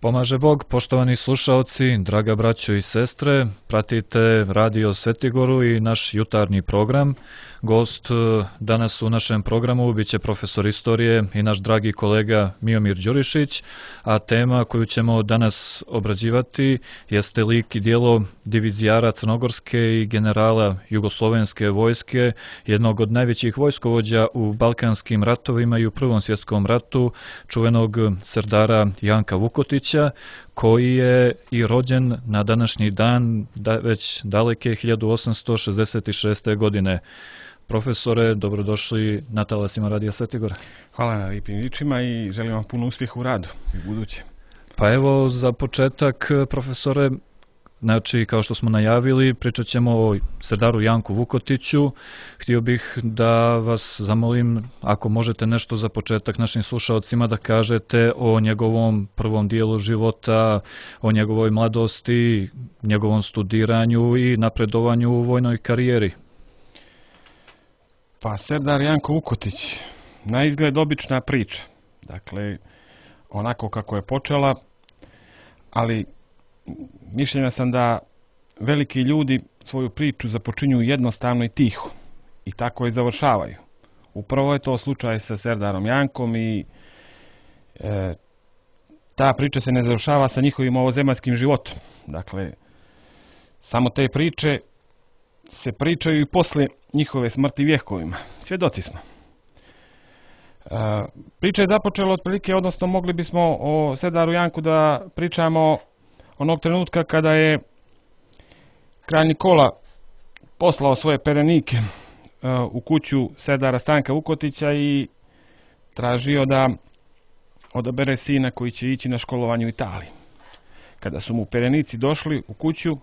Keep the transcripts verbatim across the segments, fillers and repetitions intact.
Pomaže Bog, poštovani slušaoci, draga braćo i sestre, pratite Radio Svetigoru i naš jutarnji program. Gost danas u našem programu biće profesor istorije i naš dragi kolega Miomir Đurišić, a tema koju ćemo danas obrađivati jeste lik i dijelo divizijara crnogorske i generala jugoslovenske vojske, jednog od najvećih vojskovođa u Balkanskim ratovima i u Prvom svjetskom ratu, čuvenog serdara Janka Vukotića, koji je i rođen na današnji dan da, već daleke hiljadu osamsto šezdeset šeste. godine. Profesore, dobrodošli na talasima Radija Svetigora. Hvala na lijepim ričima i želim vam puno uspjeha u radu i u buduće. Pa evo, za početak, profesore, znači, kao što smo najavili, pričat ćemo o serdaru Janku Vukotiću. Htio bih da vas zamolim, ako možete nešto za početak našim slušalcima da kažete o njegovom prvom dijelu života, o njegovoj mladosti, njegovom studiranju i napredovanju u vojnoj karijeri. Pa, serdar Janko Vukotić, na izgled obična priča. Dakle, onako kako je počela, ali mišljenja sam da veliki ljudi svoju priču započinju jednostavno i tiho i tako je završavaju. Upravo je to slučaj sa serdarom Jankom i e, ta priča se ne završava sa njihovim ovozemaljskim životom. Dakle, samo te priče se pričaju i posle njihove smrti vjekovima. Svjedoci smo. E, priča je započela otprilike, odnosno mogli bismo o serdaru Janku da pričamo onog trenutka kada je kralj Nikola poslao svoje perenike u kuću serdara Stanka Vukotića i tražio da odabere sina koji će ići na školovanje u Italiji. Kada su mu perenici došli u kuću,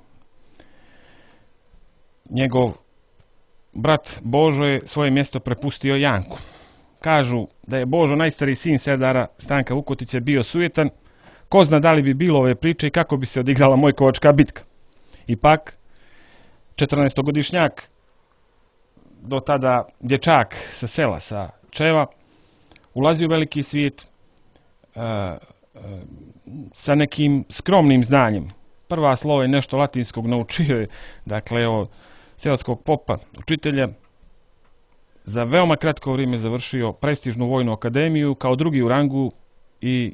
njegov brat Božo je svoje mjesto prepustio Janku. Kažu da je Božo, najstariji sin serdara Stanka Vukotića, bio sujetan. Ko zna da li bi bilo ove priče i kako bi se odigrala Mojkovačka bitka. Ipak, četrnaestogodišnjak, do tada dječak sa sela, sa Čeva, ulazi u veliki svijet e, e, sa nekim skromnim znanjem. Prva slova je nešto latinskog naučio je, dakle, od seoskog popa, učitelja. Za veoma kratko vrijeme završio prestižnu vojnu akademiju, kao drugi u rangu i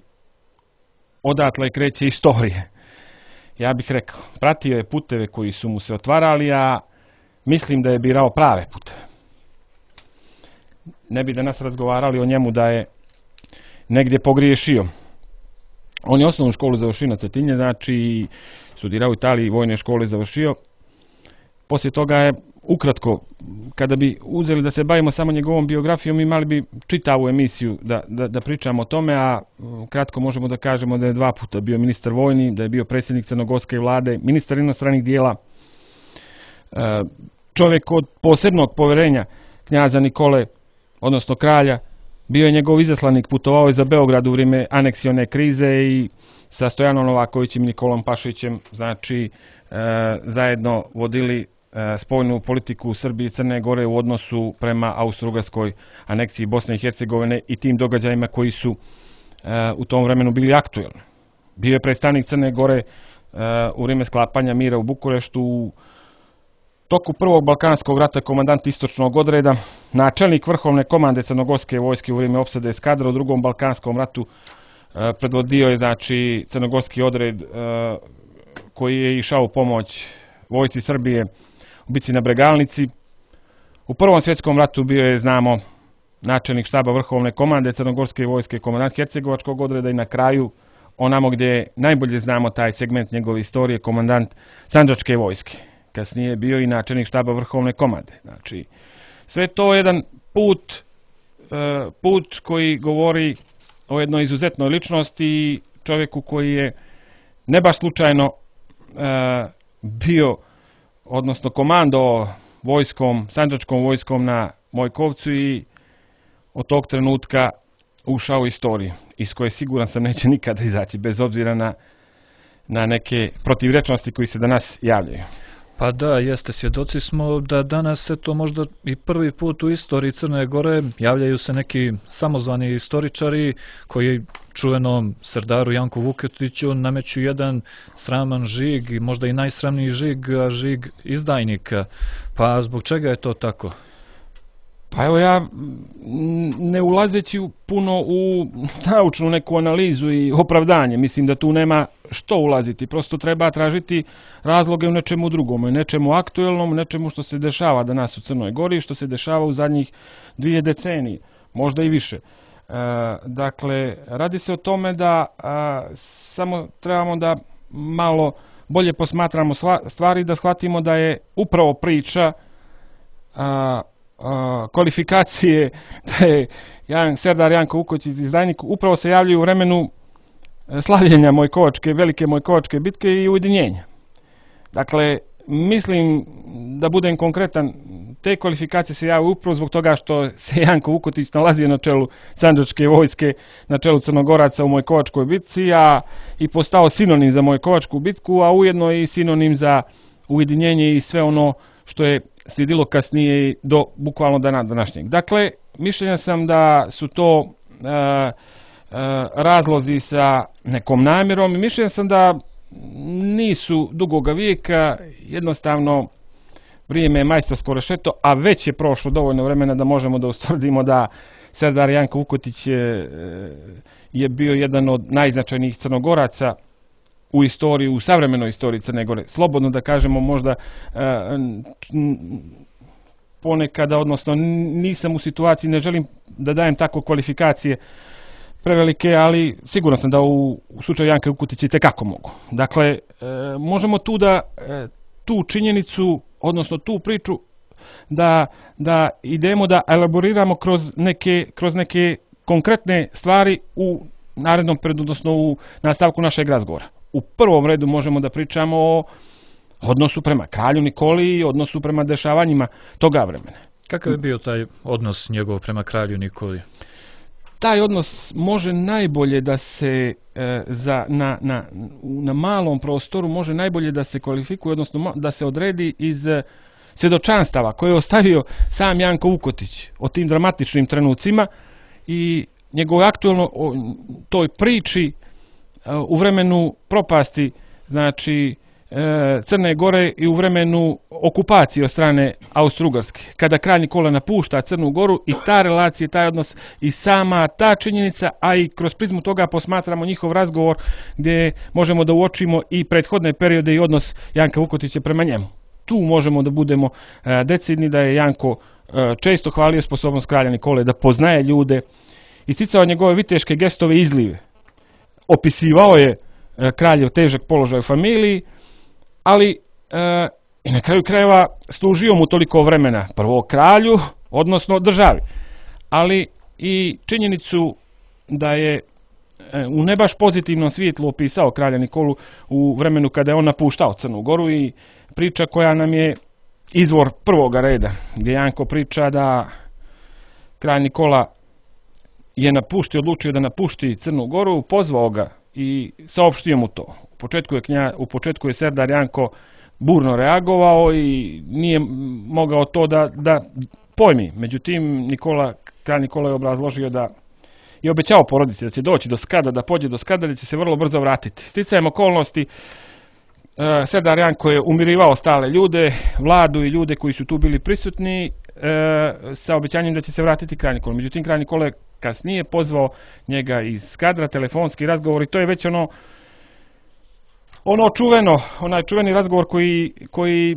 odatle kreće istorije. Ja bih rekao, pratio je puteve koji su mu se otvarali, a mislim da je birao prave puteve. Ne bi danas razgovarali o njemu da je negdje pogriješio. On je osnovnu školu završio na Cetinje, znači studirao u Italiji, vojne škole završio. Poslije toga je, ukratko, kada bi uzeli da se bavimo samo njegovom biografijom, imali bi čitavu emisiju da, da, da pričamo o tome, a kratko možemo da kažemo da je dva puta bio ministar vojni, da je bio predsjednik crnogorske vlade, ministar inostranih dijela, čovjek od posebnog poverenja knjaza Nikole, odnosno kralja, bio je njegov izaslanik, putovao je za Beograd u vrijeme aneksione krize i sa Stojanom Novakovićem i Nikolom Pašićem, znači, zajedno vodili spoljnu politiku Srbije i Crne Gore u odnosu prema Austro-Ugarskoj aneksiji Bosne i Hercegovine i tim događajima koji su u tom vremenu bili aktuelni. Bio je predstavnik Crne Gore u vrijeme sklapanja mira u Bukureštu, u toku Prvog Balkanskog rata komandant istočnog odreda, načelnik vrhovne komande crnogorske vojske u vrijeme opsade eskadra u Drugom Balkanskom ratu, predvodio je, znači, crnogorski odred koji je išao u pomoć vojsci Srbije u bici na Bregalnici. U Prvom svjetskom ratu bio je, znamo, načelnik štaba vrhovne komande crnogorske vojske, komandant hercegovačkog odreda i na kraju, onamo gdje najbolje znamo taj segment njegove istorije, komandant sandžačke vojske. Kasnije je bio i načelnik štaba vrhovne komande. Znači, sve to je jedan put, put koji govori o jednoj izuzetnoj ličnosti i čovjeku koji je ne baš slučajno bio, odnosno komando vojskom, sandžačkom vojskom na Mojkovcu i od tog trenutka ušao u istoriju, iz koje siguran sam neće nikada izaći, bez obzira na, na neke protivrečnosti koji se danas javljaju. Pa da, jeste, svjedoci smo da danas se to možda i prvi put u istoriji Crne Gore javljaju se neki samozvani istoričari koji čuvenom Serdaru Janku Vukotiću nameću jedan sraman žig i možda i najsramniji žig, a žig izdajnika. Pa zbog čega je to tako? Pa evo ja, ne ulazeći puno u naučnu neku analizu i opravdanje, mislim da tu nema što ulaziti, prosto treba tražiti razloge u nečemu drugom, u nečemu aktuelnom, u nečemu što se dešava danas u Crnoj Gori, što se dešava u zadnjih dvije decenije, možda i više. E, dakle, radi se o tome da a, samo trebamo da malo bolje posmatramo stvari, da shvatimo da je upravo priča a, a, kvalifikacije da je Jan, Serdar Janko Vukotić izdajnik upravo se javljaju u vremenu slavljenja Mojkovačke, velike Mojkovačke bitke i ujedinjenja. Dakle, mislim da budem konkretan, te kvalifikacije se javljaju upravo zbog toga što se Janko Vukotić nalazio na čelu Sandžačke vojske, na čelu Crnogoraca u Mojkovačkoj bitci, a i postao sinonim za Mojkovačku bitku, a ujedno i sinonim za ujedinjenje i sve ono što je slijedilo kasnije do bukvalno dana današnjeg. Dakle, mišljenja sam da su to e, e, razlozi sa nekom namjerom i mišljenja sam da nisu dugoga vijeka, jednostavno vrijeme je majstorsko rešeto, a već je prošlo dovoljno vremena da možemo da ustvrdimo da Serdar Janko Vukotić je, je bio jedan od najznačajnijih Crnogoraca u istoriji, u savremenoj istoriji Crne Gore. Slobodno da kažemo, možda ponekada, odnosno nisam u situaciji, ne želim da dajem tako kvalifikacije prevelike, ali sigurno sam da u, u slučaju Janka Vukotića i tekako mogu. Dakle, e, možemo tu da e, tu činjenicu, odnosno tu priču da, da idemo da elaboriramo kroz neke, kroz neke konkretne stvari u narednom periodu, odnosno u nastavku našeg razgovora. U prvom redu možemo da pričamo o odnosu prema kralju Nikoli i odnosu prema dešavanjima toga vremena. Kakav je bio taj odnos njegov prema kralju Nikoli? Taj odnos može najbolje da se e, za, na, na, na malom prostoru može najbolje da se kvalifikuje, odnosno da se odredi iz e, svjedočanstava koje je ostavio sam Janko Vukotić o tim dramatičnim trenucima i njegov aktuelno o toj priči e, u vremenu propasti, znači e, Crne Gore i u vremenu okupacije od strane Austro-Ugarske, kada kralj Nikola napušta Crnu Goru i ta relacija, taj odnos i sama ta činjenica, a i kroz prizmu toga posmatramo njihov razgovor gdje možemo da uočimo i prethodne periode i odnos Janka Vukotića prema njemu. Tu možemo da budemo e, decidni da je Janko e, često hvalio sposobnost kralja Nikole da poznaje ljude, isticao njegove viteške gestove i izlive. Opisivao je e, kraljev težak položaj u familiji, ali e, i na kraju krajeva služio mu toliko vremena, prvo kralju, odnosno državi, ali i činjenicu da je e, u ne baš pozitivnom svjetlu opisao kralja Nikolu u vremenu kada je on napuštao Crnu Goru i priča koja nam je izvor prvoga reda, gdje Janko priča da kralj Nikola je napuštio, odlučio da napušti Crnu Goru, pozvao ga i saopštio mu to. U početku je, knja, u početku je Serdar Janko burno reagovao i nije mogao to da, da pojmi. Međutim, Nikola, kralj Nikola je obrazložio da je obećao porodici da će doći do Skada, da pođe do Skada, da će se vrlo brzo vratiti. Sticajem okolnosti, e, Serdar Janko je umirivao stale ljude, vladu i ljude koji su tu bili prisutni, e, sa obećanjem da će se vratiti kralj Nikola. Međutim, kralj Nikola je kasnije pozvao njega iz Skadra, telefonski razgovor i to je već ono ono čuveno, onaj čuveni razgovor koji, koji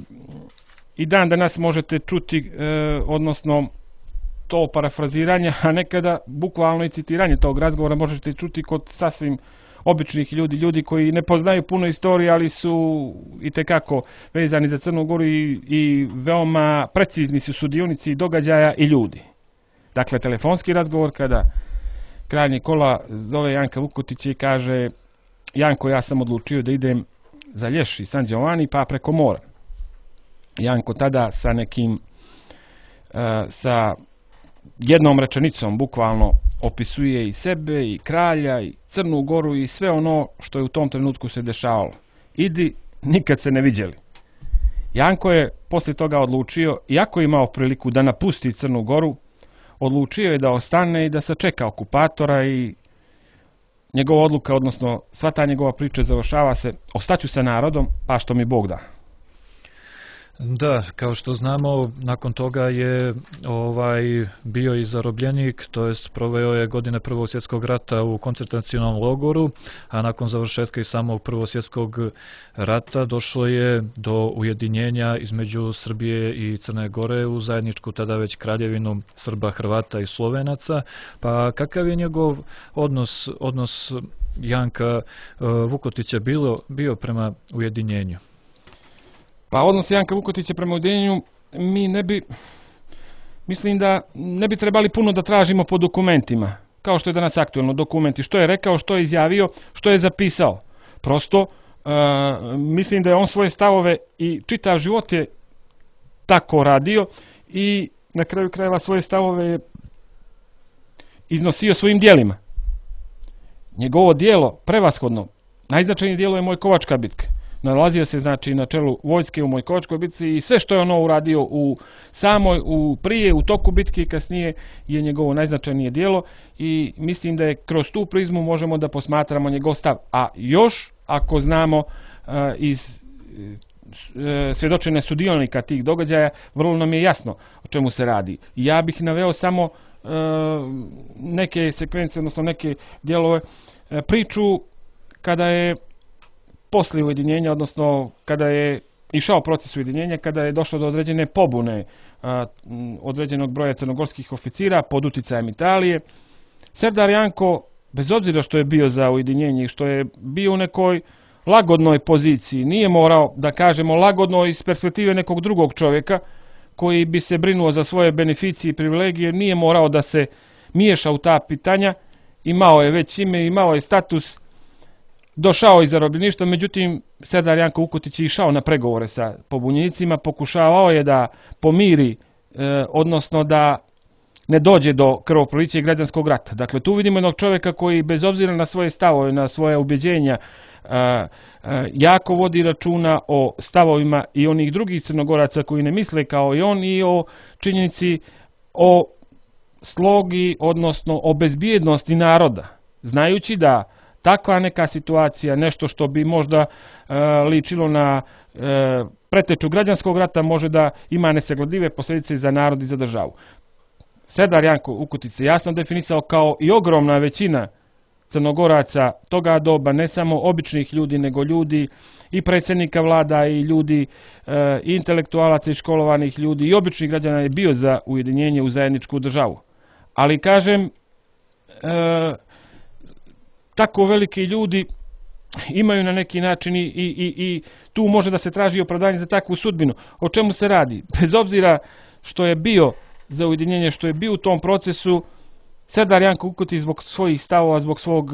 i dan danas možete čuti, e, odnosno to parafraziranje, a nekada bukvalno i citiranje tog razgovora možete čuti kod sasvim običnih ljudi, ljudi koji ne poznaju puno istorije, ali su itekako vezani za Crnu Goru i, i veoma precizni su sudionici događaja i ljudi. Dakle, telefonski razgovor kada kralj Nikola zove Janka Vukotića i kaže: Janko, ja sam odlučio da idem za Lješ i San Giovanni, pa preko mora. Janko tada sa nekim, uh, sa jednom rečenicom bukvalno opisuje i sebe, i kralja, i Crnu Goru, i sve ono što je u tom trenutku se dešavalo. Idi, nikad se ne viđeli. Janko je poslije toga odlučio, iako je imao priliku da napusti Crnu Goru, odlučio je da ostane i da sačeka okupatora i njegova odluka, odnosno sva ta njegova priča završava se: ostaću sa narodom, pa što mi Bog da. Da, kao što znamo, nakon toga je ovaj bio i zarobljenik, to jest proveo je godine Prvog svjetskog rata u koncentracionom logoru, a nakon završetka i samog Prvog svjetskog rata došlo je do ujedinjenja između Srbije i Crne Gore u zajedničku tada već kraljevinu Srba, Hrvata i Slovenaca. Pa kakav je njegov odnos, odnos Janka Vukotića bilo, bio prema ujedinjenju? Pa odnos Janka Vukotića prema ujedinjenju mi ne bi, mislim da ne bi trebali puno da tražimo po dokumentima, kao što je danas aktuelno dokumenti, što je rekao, što je izjavio, što je zapisao. Prosto, uh, mislim da je on svoje stavove i čitav život je tako radio i na kraju krajeva svoje stavove je iznosio svojim dijelima. Njegovo dijelo, prevashodno, najznačajnije dijelo je Mojkovačka bitka. Nalazio se znači na čelu vojske u Mojkovačkoj bitci i sve što je ono uradio u samoj, u prije, u toku bitke i kasnije je njegovo najznačajnije djelo i mislim da je kroz tu prizmu možemo da posmatramo njegov stav. A još ako znamo uh, iz uh, svjedočene sudionika tih događaja, vrlo nam je jasno o čemu se radi. Ja bih naveo samo uh, neke sekvence, odnosno neke dijelove, uh, priču kada je poslije ujedinjenja, odnosno kada je išao proces ujedinjenja, kada je došlo do određene pobune a, određenog broja crnogorskih oficira pod uticajem Italije, Serdar Janko, bez obzira što je bio za ujedinjenje i što je bio u nekoj lagodnoj poziciji, nije morao, da kažemo, lagodno iz perspektive nekog drugog čovjeka koji bi se brinuo za svoje beneficije i privilegije, nije morao da se miješa u ta pitanja, imao je već ime, imao je status, došao iz zarobljeništva, međutim Serdar Janko Vukotić je išao na pregovore sa pobunjenicima, pokušavao je da pomiri, e, odnosno da ne dođe do krvoprolića i građanskog rata. Dakle, tu vidimo jednog čovjeka koji bez obzira na svoje stavove, na svoje ubjeđenja, e, e, jako vodi računa o stavovima i onih drugih Crnogoraca koji ne misle kao i on i o činjenici o slogi, odnosno o bezbjednosti naroda, znajući da takva neka situacija, nešto što bi možda e, ličilo na e, preteču građanskog rata, može da ima nesagledive posljedice za narod i za državu. Serdar Janko Vukotić se jasno definisao kao i ogromna većina Crnogoraca toga doba, ne samo običnih ljudi, nego ljudi i predsjednika vlada i ljudi e, i intelektualaca i školovanih ljudi i običnih građana je bio za ujedinjenje u zajedničku državu. Ali kažem, e, tako veliki ljudi imaju na neki način i, i, i tu može da se traži opravdanje za takvu sudbinu. O čemu se radi? Bez obzira što je bio za ujedinjenje, što je bio u tom procesu, Serdar Janko Vukotić zbog svojih stavova, zbog svog,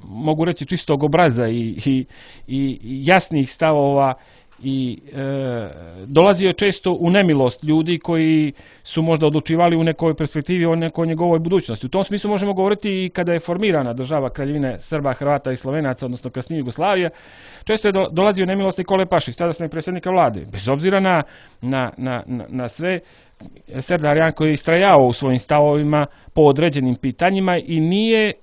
mogu reći, čistog obraza i, i, i jasnih stavova i e, dolazio je često u nemilost ljudi koji su možda odlučivali u nekoj perspektivi o nekoj njegovoj budućnosti. U tom smislu možemo govoriti i kada je formirana država Kraljevine Srba, Hrvata i Slovenaca, odnosno kasnije Jugoslavija, često je do, dolazio u nemilost Nikole Pašić, tadašnjeg predsjednika vlade. Bez obzira na, na, na, na sve, Serdar Janko je istrajao u svojim stavovima po određenim pitanjima i nije e,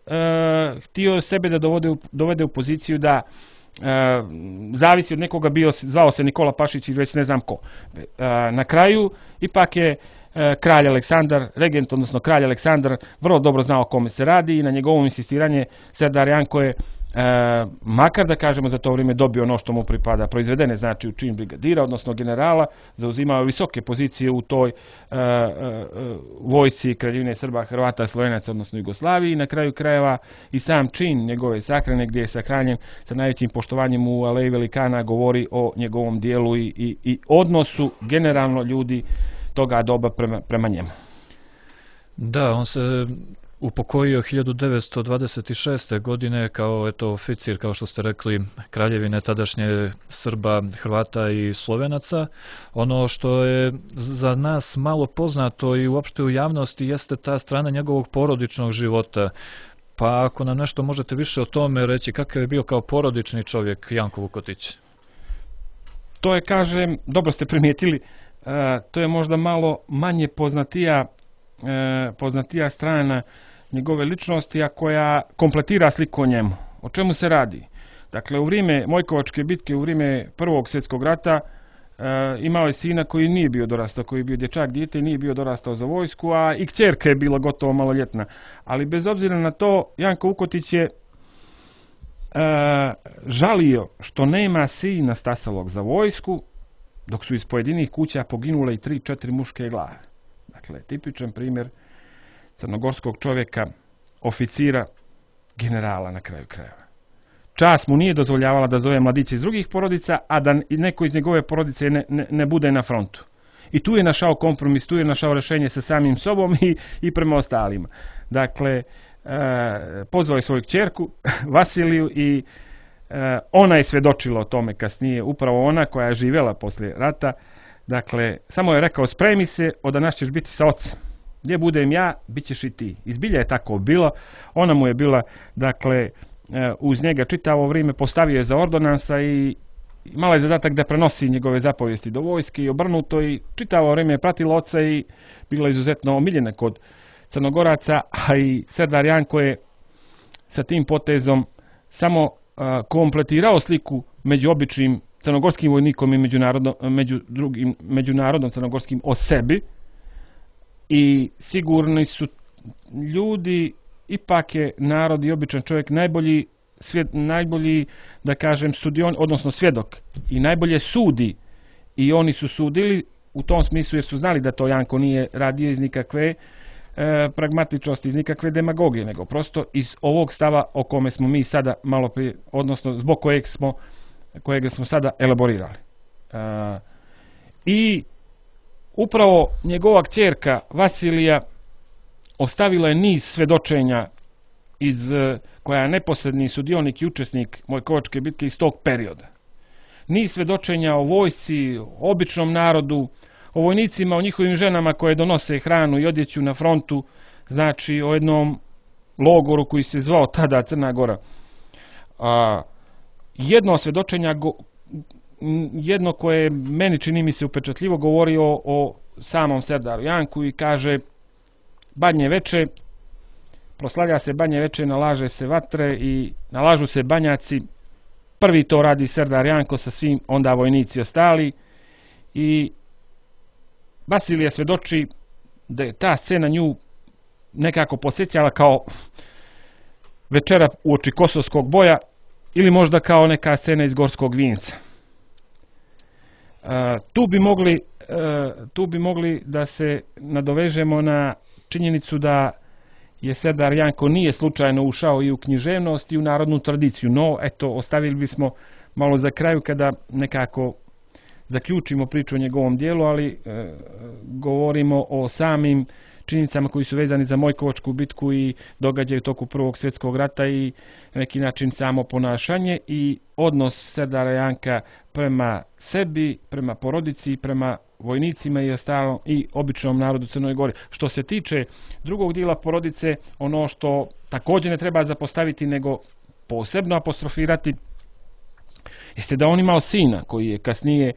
htio sebe da dovode u, dovede u poziciju da E, zavisi od nekoga, bio, zvao se Nikola Pašić i već ne znam ko. E, na kraju ipak je e, kralj Aleksandar, regent, odnosno kralj Aleksandar, vrlo dobro znao o kome se radi i na njegovom insistiranje Serdar Janko je, e, makar da kažemo za to vrijeme, dobio ono što mu pripada, proizvedene znači u čin brigadira, odnosno generala, zauzimao visoke pozicije u toj e, e, vojsci Kraljevine Srba, Hrvata, Slovenaca, odnosno Jugoslaviji i na kraju krajeva i sam čin njegove sahrane gdje je sahranjen sa najvećim poštovanjem u Aleji Velikana govori o njegovom dijelu i, i, i odnosu generalno ljudi toga doba prema, prema njemu. Da, on se upokojio hiljadu devetsto dvadeset šeste. godine kao eto oficir, kao što ste rekli, Kraljevine tadašnje Srba, Hrvata i Slovenaca. Ono što je za nas malo poznato i uopšte u javnosti jeste ta strana njegovog porodičnog života. Pa ako nam nešto možete više o tome reći, kakav je bio kao porodični čovjek Janko Vukotić? To je, kažem, dobro ste primijetili, to je možda malo manje poznatija, poznatija strana njegove ličnosti, a koja kompletira sliku o njemu. O čemu se radi? Dakle, u vrijeme Mojkovačke bitke, u vrijeme Prvog svjetskog rata, imao je sina koji nije bio dorastao, koji je bio dječak, dijete, nije bio dorastao za vojsku, a i kćerka je bila gotovo maloljetna. Ali bez obzira na to, Janko Vukotić je žalio što nema sina stasavog za vojsku, dok su iz pojedinih kuća poginule i tri, četiri muške glave. Dakle, tipičan primjer crnogorskog čovjeka, oficira, generala na kraju krajeva. Čast mu nije dozvoljavala da zove mladiće iz drugih porodica, a da neko iz njegove porodice ne, ne, ne bude na frontu. I tu je našao kompromis, tu je našao rješenje sa samim sobom i, i prema ostalima. Dakle, e, pozvao je svoju kćerku, Vasiliju, i e, ona je svjedočila o tome kasnije, upravo ona koja je živjela poslije rata. Dakle, samo je rekao, spremi se, od danas ćeš biti sa ocem. Gdje budem ja, bit ćeš i ti. Izbilja je tako bilo. Ona mu je bila, dakle, uz njega čitavo vrijeme, postavio je za ordonansa i imala je zadatak da prenosi njegove zapovijesti do vojske i obrnuto, i čitavo vrijeme je pratila oca i bila izuzetno omiljena kod Crnogoraca, a i Serdar Janko je sa tim potezom samo a, kompletirao sliku među običnim crnogorskim vojnikom i međunarodno, među drugim međunarodnom crnogorskim o sebi, i sigurni su ljudi, ipak je narod i običan čovjek najbolji, svjed, najbolji, da kažem, sudion, odnosno svjedok, i najbolje sudi, i oni su sudili u tom smislu jer su znali da to Janko nije radio iz nikakve e, pragmatičnosti, iz nikakve demagogije, nego prosto iz ovog stava o kome smo mi sada malo prije, odnosno zbog kojeg smo, kojeg smo sada elaborirali. E, I upravo njegova kćerka Vasilija ostavila je niz svjedočenja iz, koja je neposredni sudionik i učesnik Mojkovačke bitke iz tog perioda. Niz svjedočenja o vojsci, o običnom narodu, o vojnicima, o njihovim ženama koje donose hranu i odjeću na frontu, znači o jednom logoru koji se zvao tada Crna Gora. A, jedno svjedočenja, go, jedno koje meni čini mi se upečatljivo, govori o, o samom Serdaru Janku i kaže: Badnje veče, proslavlja se Badnje veče, nalaže se vatre i nalažu se banjaci. Prvi to radi Serdar Janko sa svim onda vojnici ostali, i Vasilija svjedoči da je ta scena nju nekako podsjećala kao večera uoči Kosovskog boja ili možda kao neka scena iz Gorskog vinca. Uh, tu bi mogli uh, tu bi mogli da se nadovežemo na činjenicu da je Serdar Janko nije slučajno ušao i u književnost i u narodnu tradiciju, no eto, ostavili bismo malo za kraju kada nekako zaključimo priču o njegovom dijelu, ali e, govorimo o samim činjenicama koji su vezani za Mojkovačku bitku i događaju toku Prvog svjetskog rata i na neki način samo ponašanje i odnos Serdara Janka prema sebi, prema porodici, prema vojnicima i ostalom i običnom narodu Crnoj Gori. Što se tiče drugog dijela porodice, ono što također ne treba zapostaviti nego posebno apostrofirati jeste da on imao sina koji je kasnije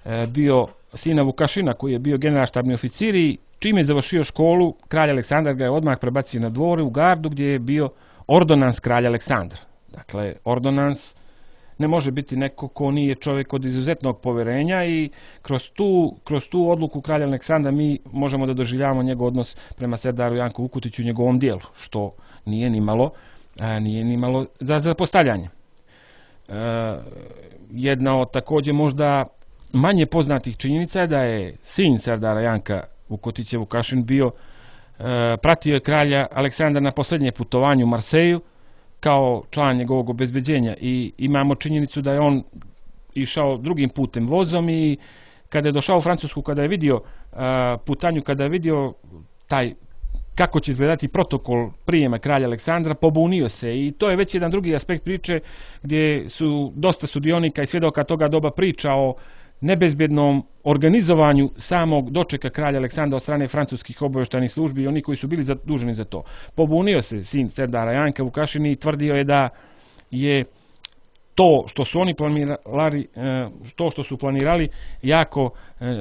e, bio sina Vukašina, koji je bio generalštabni oficir, i čim je završio školu, kralj Aleksandar ga je odmah prebacio na dvore u gardu gdje je bio ordonans kralja Aleksandra. Dakle, ordonans ne može biti neko ko nije čovjek od izuzetnog povjerenja, i kroz tu, kroz tu odluku kralja Aleksandra mi možemo da doživljavamo njegov odnos prema Serdaru Janku Vukotiću u njegovom dijelu, što nije ni malo, a, nije ni malo za zapostavljanje. E, jedna od također možda manje poznatih činjenica je da je sin Serdara Janka Vukotića Vukašin bio, e, pratio je kralja Aleksandra na posljednje putovanje u Marseju kao član njegovog obezbeđenja, i imamo činjenicu da je on išao drugim putem vozom, i kada je došao u Francusku, kada je vidio uh, putanju, kada je vidio taj kako će izgledati protokol prijema kralja Aleksandra, pobunio se, i to je već jedan drugi aspekt priče gdje su dosta sudionika i svjedoka toga doba priča o nebezbjednom organizovanju samog dočeka kralja Aleksandra od strane francuskih obavještajnih službi i oni koji su bili zaduženi za to. Pobunio se sin Serdara Janka Vukašin i tvrdio je da je to što su oni planirali, to što su planirali jako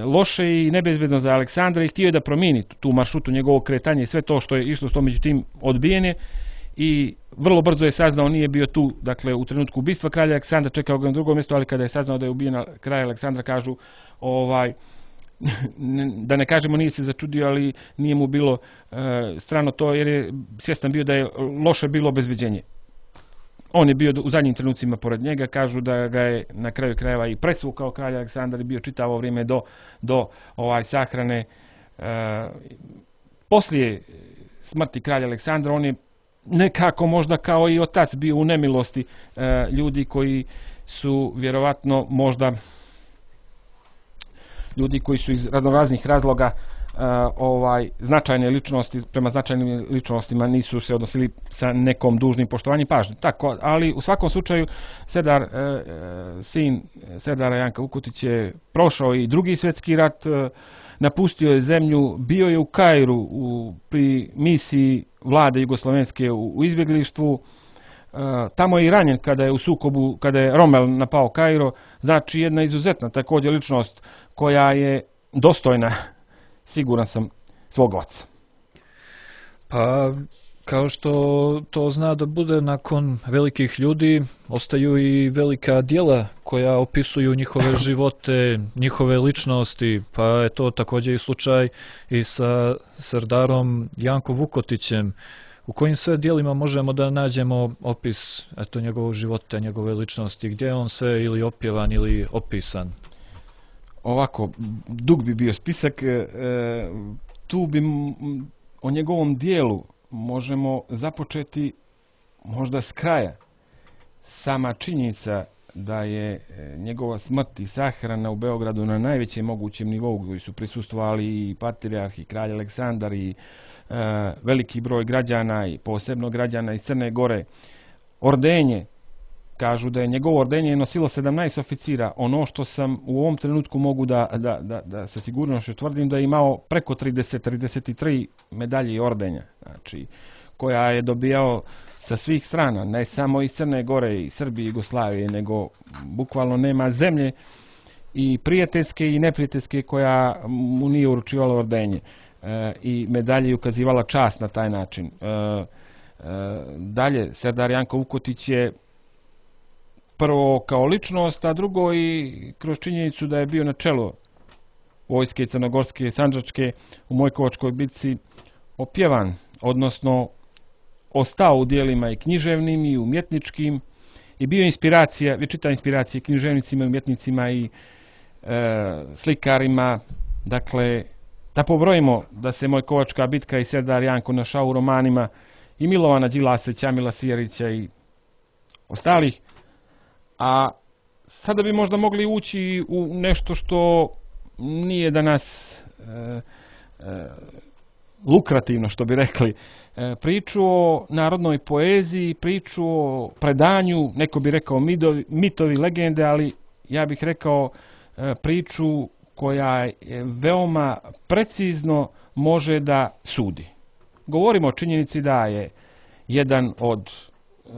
loše i nebezbedno za Aleksandra i htio je da promijeni tu maršrutu njegovog kretanja i sve to što je išlo s to, međutim odbijene i vrlo brzo je saznao, nije bio tu, dakle u trenutku ubistva kralja Aleksandra, čekao ga na drugom mjestu, ali kada je saznao da je ubijen kralj Aleksandra, kažu, ovaj, da ne kažemo nije se začudio, ali nije mu bilo e, strano to, jer je svjestan bio da je loše bilo obezbeđenje. On je bio u zadnjim trenucima pored njega, kažu da ga je na kraju krajeva i presvukao kralj Aleksandar i bio čitavo vrijeme do, do ovaj sahrane. E, poslije smrti kralja Aleksandra on je nekako možda kao i otac bio u nemilosti e, ljudi koji su vjerovatno možda ljudi koji su iz raznoraznih razloga uh, ovaj značajne ličnosti, prema značajnim ličnostima nisu se odnosili sa nekom dužnim poštovanjem pažnje. Tako, ali u svakom slučaju Serdar, uh, sin Serdara Janka Vukotić je prošao i drugi svjetski rat, uh, napustio je zemlju, bio je u Kairu u, pri misiji vlade Jugoslovenske u, u izbjeglištvu. Uh, tamo je i ranjen kada je u sukobu, kada je Rommel napao Kairo, znači jedna izuzetna također ličnost koja je dostojna, siguran sam, svog oca. Pa, kao što to zna da bude nakon velikih ljudi, ostaju i velika djela koja opisuju njihove živote, njihove ličnosti, pa je to također i slučaj i sa Serdarom Jankom Vukotićem. U kojim sve dijelima možemo da nađemo opis eto, njegovog života, njegove ličnosti, gdje je on sve ili opjevan ili opisan? Ovako, dug bi bio spisak, e, tu bi o njegovom dijelu možemo započeti možda s kraja. Sama činjenica da je njegova smrt i sahrana u Beogradu na najvećem mogućem nivou, koji su prisustvovali i patrijarh i kralj Aleksandar i e, veliki broj građana i posebno građana iz Crne Gore, ordenje, kažu da je njegovo ordenje nosilo sedamnaest oficira. Ono što sam u ovom trenutku mogu da, da, da, da sa sigurnošću tvrdim da je imao preko trideset, trideset tri medalje i ordenja, znači, koja je dobijao sa svih strana, ne samo iz Crne Gore i Srbije i Jugoslavije, nego bukvalno nema zemlje i prijateljske i neprijateljske koja mu nije uručivala ordenje e, i medalje ukazivala čast na taj način. E, e, dalje, Serdar Janko Vukotić je prvo kao ličnost, a drugo i kroz činjenicu da je bio na čelu vojske crnogorske, sandžačke u Mojkovačkoj bitci opjevan, odnosno ostao u dijelima i književnim i umjetničkim i bio inspiracija, vječita inspiracija književnicima, umjetnicima i e, slikarima. Dakle, da pobrojimo da se Mojkovačka bitka i Serdar Janko našao u romanima i Milovana Đilasa, Ćamila Sijarića i ostalih. A sada bi možda mogli ući u nešto što nije danas e, e, lukrativno, što bi rekli. E, priču o narodnoj poeziji, priču o predanju, neko bi rekao mitovi, mitovi legende, ali ja bih rekao e, priču koja je veoma precizno može da sudi. Govorimo o činjenici da je jedan od e,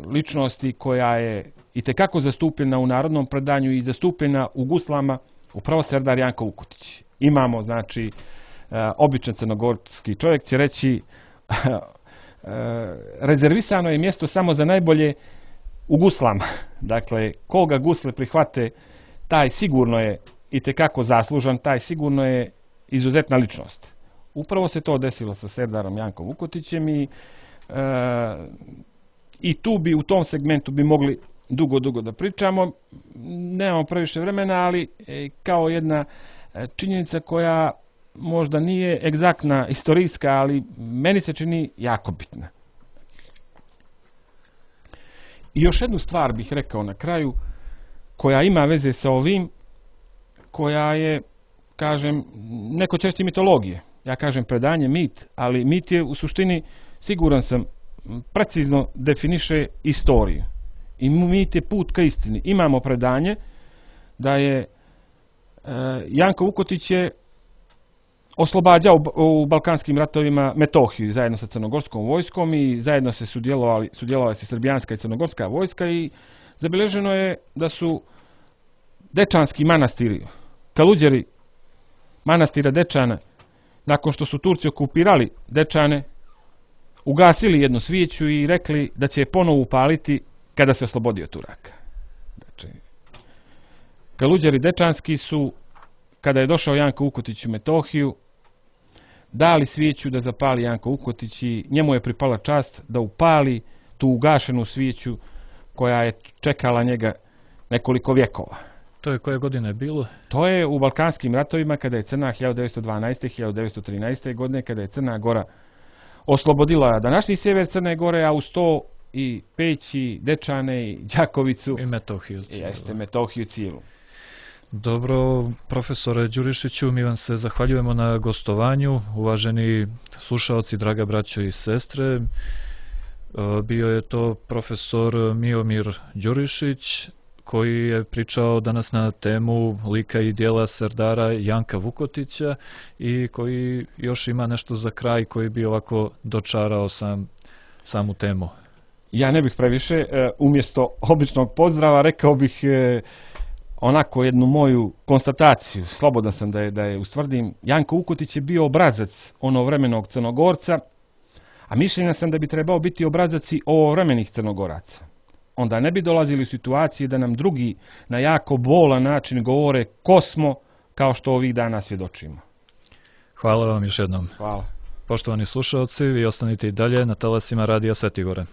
ličnosti koja je itekako zastupljena u narodnom predanju i zastupljena u guslama, upravo Serdar Janko Vukotić. Imamo, znači, e, običan crnogorski čovjek će reći e, rezervisano je mjesto samo za najbolje u guslama. Dakle, koga gusle prihvate, taj sigurno je itekako zaslužan, taj sigurno je izuzetna ličnost. Upravo se to desilo sa Serdarom Jankom Vukotićem i, e, i tu bi u tom segmentu bi mogli dugo, dugo da pričamo. Nemamo previše vremena, ali e, kao jedna e, činjenica koja možda nije egzaktna, istorijska, ali meni se čini jako bitna. I još jednu stvar bih rekao na kraju, koja ima veze sa ovim, koja je, kažem, neko češće mitologije. Ja kažem predanje, mit, ali mit je u suštini, siguran sam, precizno definiše istoriju. I mit je put ka istini. Imamo predanje da je e, Janko Vukotić je oslobađao u balkanskim ratovima Metohiju zajedno sa crnogorskom vojskom i zajedno se sudjelovali, sudjelovali se srbijanska i crnogorska vojska i zabilježeno je da su dečanski manastiri, Kaluđeri manastira Dečana, nakon što su Turci okupirali Dečane, ugasili jednu svijeću i rekli da će je ponovo upaliti kada se oslobodio Turaka. Znači, Kaluđeri Dečanski su, kada je došao Janko Ukotić u Metohiju, dali svijeću da zapali Janko Ukotić i njemu je pripala čast da upali tu ugašenu svijeću koja je čekala njega nekoliko vjekova. To je koje godine bilo? To je u Balkanskim ratovima kada je Crna hiljadu devetsto dvanaeste. hiljadu devetsto trinaeste. godine, kada je Crna Gora oslobodila današnji sjever Crne Gore, a uz to i Peć, i Dečane, i Đakovicu. I Metohiju. Jeste, Metohiju cijelu. Dobro, profesore Đurišiću, mi vam se zahvaljujemo na gostovanju. Uvaženi slušalci, draga braćo i sestre, bio je to profesor Miomir Đurišić, koji je pričao danas na temu lika i dijela serdara Janka Vukotića i koji još ima nešto za kraj koji bi ovako dočarao sam, samu temu. Ja ne bih previše, umjesto običnog pozdrava rekao bih onako jednu moju konstataciju, slobodan sam da je, da je ustvrdim. Janko Vukotić je bio obrazac onovremenog Crnogorca, a mišljenja sam da bi trebao biti obrazac i ovovremenih Crnogoraca. Onda ne bi dolazili u situacije da nam drugi na jako bolan način govore ko smo, kao što ovih dana svjedočimo. Hvala vam još jednom. Hvala. Poštovani slušalci, vi ostanite i dalje na talasima Radija Svetigore.